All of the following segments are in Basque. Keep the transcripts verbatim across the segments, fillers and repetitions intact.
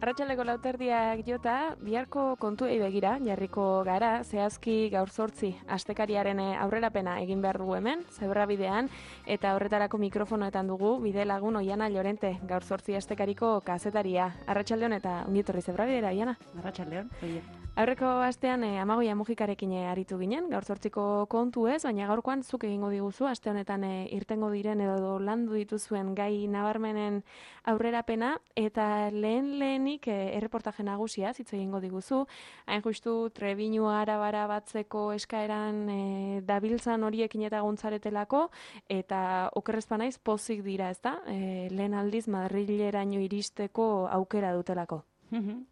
Arratsaleko lauterdiak jota, biharko kontuei begira, jarriko gara, zehazki gaur zortzi, astekariaren aurrerapena egin behar dugu hemen, zebrabidean, eta horretarako mikrofonoetan dugu, bide lagun Oiana Llorente, gaur zortzi astekariko kazetaria. Arratsaldeon eta ongietorri zebrabidera, Oiana. Arratsaldeon, oie. Aurreko astean eh, Amagoia Mujikarekin eh, aritu ginen, gaur zortziko kontu ez, baina gaurkoan zuk egingo diguzu, aste honetan eh, irtengo diren edo landu dituzuen gai nabarmenen aurrerapena, eta lehen lehenik eh, erreportaje nagusia hitz egingo diguzu, hain justu Trebiñu Arabara batzeko eskaeran eh, dabiltzan horiekin eta gontzaretelako, eta okerrezpa naiz pozik dira, ezta? Eh, lehen aldiz Madrileraino iristeko aukera dutelako.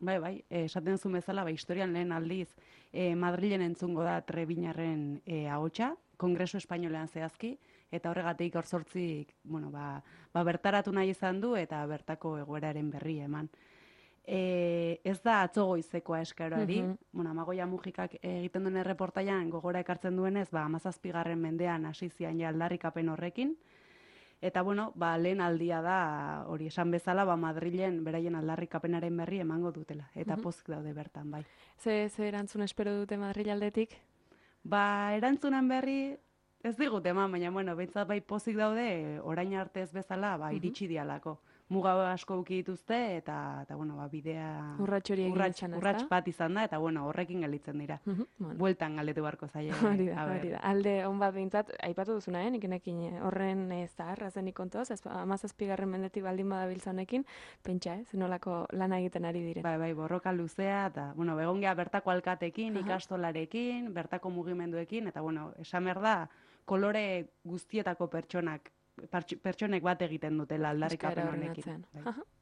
Bai, bai, esaten zuen bezala, bai, historian lehen aldiz eh, Madrilen entzungo da Trebiñarren eh, ahotsa, Kongresu Espainolean zehazki, eta horregatik gaur zortzik, bueno, ba, ba bertaratu nahi izan du eta bertako egoeraren berri eman. E, ez da atzo goizekoa eskaerari, uh -huh. bueno, Amagoia Mujikak egiten duen erreportaian gogora ekartzen duenez, ba, hamazazpigarren mendean hasi zian ja aldarrikapen horrekin. Eta, bueno, ba, lehen aldia da, hori esan bezala, ba, Madrilen beraien aldarrikapenaren berri emango dutela. Eta uh -huh. pozik daude bertan, bai. Ze, ze erantzun espero dute Madril aldetik? Ba, erantzunan berri ez digute eman, baina, bueno, behintzat bai pozik daude, orain arte ez bezala, ba, iritsi dialako. Muga asko uki dituzte, eta, eta bueno, ba, bidea... Urrats hori egin urrats, izan, ez urrats bat izan da, eta, bueno, horrekin gelitzen dira. Uh -huh, bueno. Bueltan galdetu barko zaie. Hori da, hori da. Alde, on bat behintzat, aipatu duzuna, eh? Nikenekin horren zaharra zenik kontoz, hamazazpigarren mendetik baldin badabiltza honekin, pentsa, eh? Zenolako lana egiten ari dire. Bai, bai, borroka luzea, eta, bueno, egon geha bertako alkatekin, uh -huh. ikastolarekin, bertako mugimenduekin, eta, bueno, esan behar da, kolore guztietako pertsonak, pertsonek bat egiten dutela aldarrikapen honekin.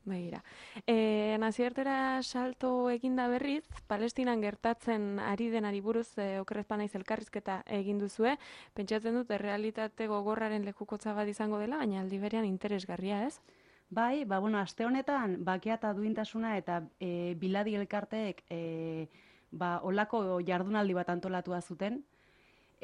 Begira. E, nazioartera salto eginda berriz, Palestinan gertatzen ari denari buruz e, okerrezpa naiz elkarrizketa egin duzue. Pentsatzen dut, errealitate gogorraren lekukotza bat izango dela, baina aldi berean interesgarria, ez? Bai, ba, bueno, aste honetan, bakea eta duintasuna eta e, biladi elkarteek e, ba, olako jardunaldi bat antolatua zuten.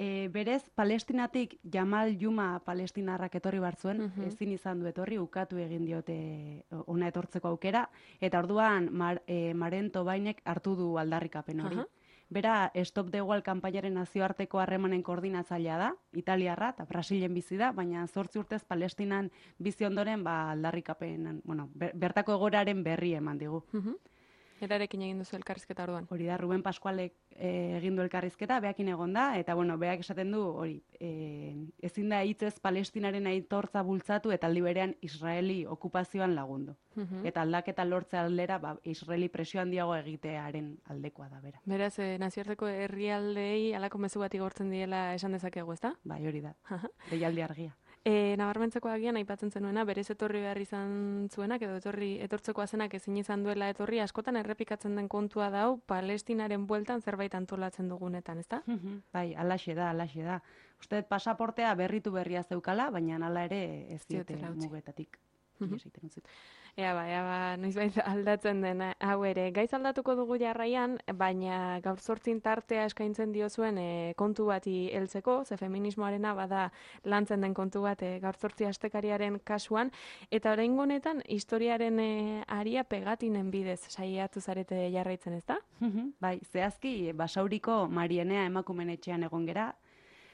E, berez, Palestinatik Jamal Juma palestinarrak etorri bartzuen, uh -huh. ezin izan du etorri, ukatu egin diote ona etortzeko aukera, eta orduan Mar, e, Marento Bainek hartu du aldarrikapen hori. Uh -huh. Bera, Stop the Wall kanpainaren nazioarteko harremanen koordinatzailea da, Italiarra eta Brasilen bizi da, baina zortzi urtez Palestinan bizi ondoren ba, aldarrikapen, bueno, bertako egoraren berri eman digu. Uh -huh. Erarekin egin duzu elkarrizketa orduan. Hori da, Ruben Pascualek e, egin du elkarrizketa, beakin egon da, eta bueno, beak esaten du, hori, e, ezin da hitzez Palestinaren aitortza bultzatu eta aldi berean Israeli okupazioan lagundu. Uh -huh. Eta aldaketa lortze aldera, ba, Israeli presio handiago egitearen aldekoa da, bera. Beraz, e, nazioarteko herrialdei halako mezu bat igortzen diela esan dezakegu, ezta? Bai, hori da, deialdi argia. E, nabarmentzeko agian aipatzen zenuena, berez etorri behar izan zuenak, edo etorri etortzeko azenak ezin izan duela etorri, askotan errepikatzen den kontua dau, Palestinaren bueltan zerbait antolatzen dugunetan, ezta? Bai, alaxe da, alaxe da. Uste pasaportea berritu berria zeukala, baina hala ere ez diote mugetatik. Ea ba, ea ba, noizbait aldatzen den hau ere. Gaiz aldatuko dugu jarraian, baina gaur zortzin tartea eskaintzen diozuen e, kontu bati heltzeko, ze feminismoarena bada lantzen den kontu bat e, gaur zortzi astekariaren kasuan, eta oraingo honetan historiaren e, aria pegatinen bidez saiatu zarete jarraitzen, ezta? Bai, zehazki Basauriko Marienea emakumen etxean egon gera.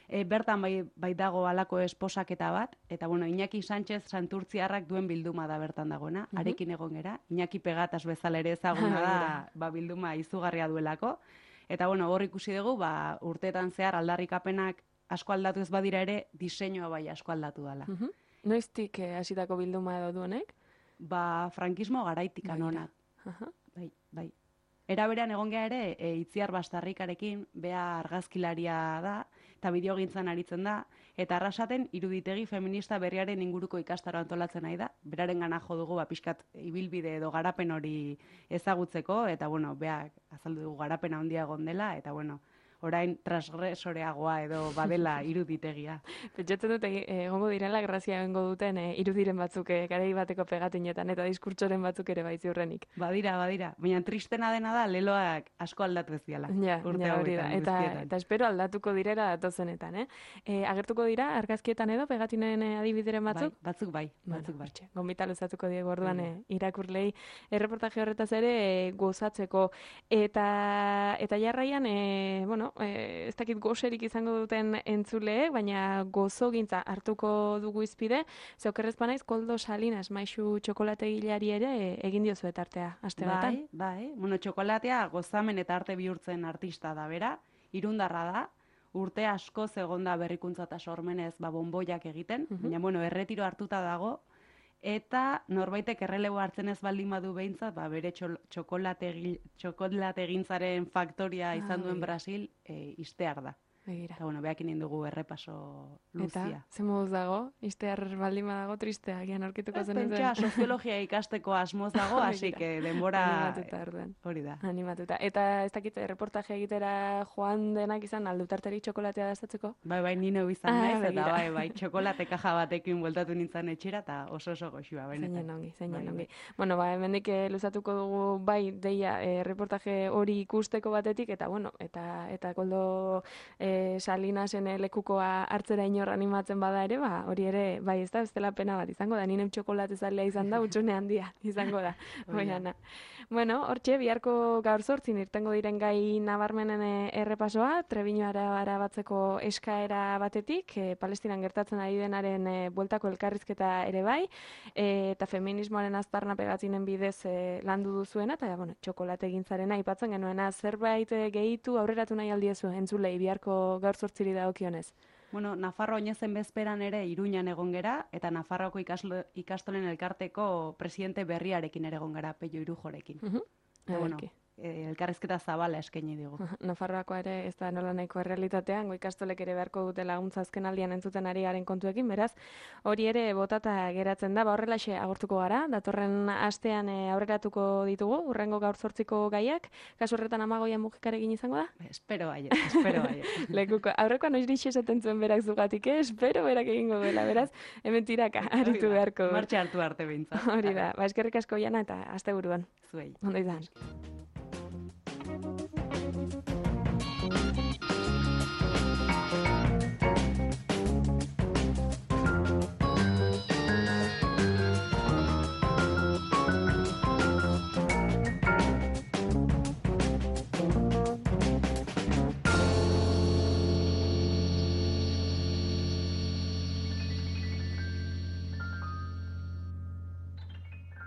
E, bertan bai, bai dago halako esposaketa bat, eta bueno, Iñaki Sánchez Santurtziarrak duen bilduma da bertan dagoena, uh-huh. arekin egon gera, Iñaki Pegatas bezala ere ezaguna da, ba, bilduma izugarria duelako, eta bueno, hor ikusi dugu, ba, urteetan zehar aldarrikapenak asko aldatu ez badira ere, diseinua bai asko aldatu dela. Uh-huh. Noiztik eh, hasitako bilduma edo duenek? Ba, frankismo garaitik anonak. Uh-huh. Bai, bai. Era berean egon geha ere, e, Itziar Bastarrikarekin, bea argazkilaria da, eta bideogintzan aritzen da, eta arrasaten iruditegi feminista berriaren inguruko ikastaro antolatzen nahi da, beraren gana jo dugu, ba, pixkat ibilbide edo garapen hori ezagutzeko, eta bueno, beak azaldu dugu garapena handia egon dela, eta bueno, orain transgresoreagoa edo badela iruditegia. Pentsatzen dut egi- egongo direla grazia egongo duten e, irudiren batzuk e, garai bateko pegatinetan eta diskurtsoren batzuk ere bai ziurrenik. Badira, badira. Baina tristena dena da leloak asko aldatu ez diala. Ja, Urte ja, hori da. hauetan, Eta, guztietan. eta espero aldatuko direla datozenetan, eh? E, agertuko dira argazkietan edo pegatinen e, adibideren batzuk? Bai, batzuk bai, Bueno, batzuk bai. hortxe, gonbita luzatuko diegu orduan Hori e, irakurlei erreportaje horretaz ere e, gozatzeko. Eta, eta jarraian, e, bueno, e, ez dakit gozerik izango duten entzuleek, baina gozogintza hartuko dugu izpide, ze okerrez banaiz Koldo Salinas maisu txokolategilari ere e, egin diozu tartea aste honetan. Bai, bai. Bueno, txokolatea gozamen eta arte bihurtzen artista da bera, irundarra da, urte asko egonda berrikuntza eta sormenez ba, bonboiak egiten, Mhm. baina bueno, erretiro hartuta dago, eta norbaitek errelebo hartzen ez baldin badu behintzat, ba, bere txol- txokolategi- txokolategintzaren faktoria izan Ah, duen begira. Brasil e, iztear da. Begira. Eta bueno, behakin egin dugu errepaso luzia. Eta, ze moduz dago, iztear baldin badago tristea, gian aurkituko Ez, zen pentsa, soziologia ikasteko asmoz dago, hasi Begira. que denbora Animatuta orduan. hori da. Animatuta. Eta ez dakit, reportaje egitera joan denak izan aldutarteri txokolatea dastatzeko? Bai, bai, ni neu izan Ah, naiz, eta begira. bai, bai, txokolate kaja batekin bueltatu nintzen etxera, eta oso oso goxua, benetan. Zeinen ongi, zeinen Bai, ongi. bai. Bueno, ba, hemendik eh, luzatuko dugu bai deia eh, reportaje hori ikusteko batetik eta bueno, eta eta Koldo eh, Salinasen eh, lekukoa hartzera inor animatzen bada ere, ba, hori ere bai, ez da bestela pena bat izango da. Ninem txokolate zalea izan da, utxune handia izango da. Hori da. Oiana. Bueno, hortxe biharko gaur zortzin irtengo diren gai nabarmenen eh, errepasoa, Trebiñoara arabatzeko eskaera batetik, eh, Palestinan gertatzen ari denaren eh, bueltako elkarrizketa ere bai, e, eta feminismoaren aztarna pegatzinen bidez e, landu duzuena, eta bueno, txokolate gintzarena aipatzen genuena, zerbait e, gehitu aurreratu nahi aldiezu entzulei biharko gaur zortziri dagokionez. Bueno, Nafarro oinezen bezperan ere Iruñan egon gera, eta Nafarroko ikaslo, ikastolen elkarteko presidente berriarekin ere egon gara, Pello Irujorekin. Uh -huh. Eta, bueno, eh, elkarrizketa zabala eskaini digu. Nafarroakoa ere ez da nola nahiko errealitatean, go ikastolek ere beharko dute laguntza azken aldian entzuten ari garen kontuekin, beraz, hori ere botata geratzen da, ba horrelaxe agortuko gara, datorren astean e, aurreratuko ditugu, urrengo gaur zortziko gaiak, kasu horretan Amagoia mugikarekin izango da? Espero baiet, espero baiet. Lekuko, aurrekoan noiz esaten zuen berak zugatik, eh? Espero berak egingo duela, beraz, hemen tiraka, aritu beharko. Martxa hartu arte behintzat. Hori da, ba, eskerrik asko Jana eta asteburuan. Zuei. Ondo izan.